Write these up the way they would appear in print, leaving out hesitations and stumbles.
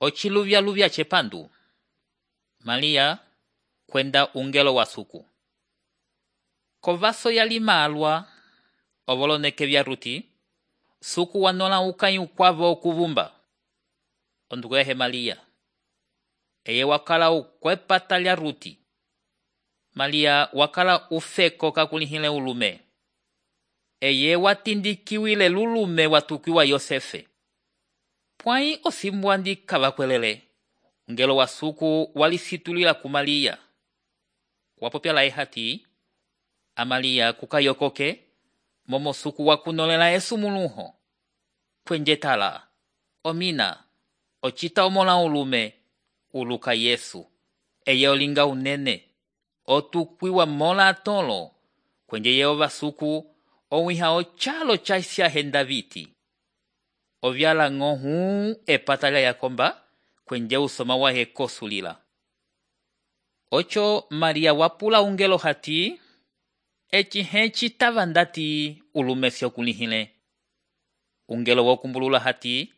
Ochiluvya chepandu. Malia kwenda ungelo wa suku. Kovaso yali malwa ovoloneke vya ruti, suku wanola ukanyi ukwavo okuvumba. Ondugehe Malia. Eye wakala ukwepata lya ruti. Malia wakala ufeko kakulihile ulume. Eye watindikiwile lulume watukiwa Yosefe. Pwai osimbwandi kavakwelele. Ungelo wa suku walisitulila ku Malia. Wapopya la ehati. Amalia kukayokoke. Momo suku wakunolela esumuluho. Kwenjetala. Omina. Ochita omola ulume. Uluka Yesu. Eye olinga unene. Otukwiwa mola tolo. Kwenje Yehova suku. Owiha ochalo chaisya hendaviti. Ovyala ngohu epatalia yakomba. Kwenje usoma wahe kosulila. Ocho Maria wapula ungelo hati. Hechi tavandati ulumesio kulihile. Ungelo wakumbulula hati.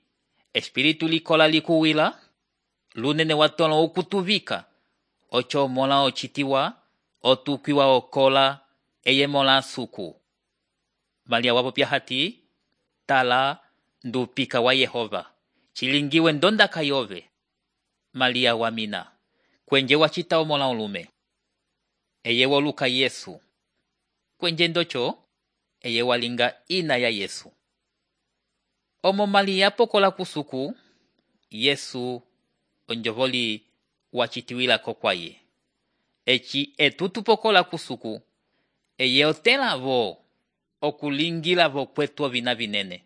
Espiritu likola likuwila. Lunene watolo ukutuvika. Ocho mola ochitiwa. Otukiwa okola. Eye mola suku. Maria wapopya hati. Tala ndupika wa Yehova. Chilingiwe ndonda kayove. Maria wamina. Kwenje wachita omola ulume. Eye woluka Yesu. Kwenje ndocho. Eye walinga ina ya Yesu. Omo Maria pokola kusuku. Yesu onjovoli wachitiwila kokwaye. Echi etutu pokola kusuku. Eye otela vo. Okulingila vo kwetu vina vinene.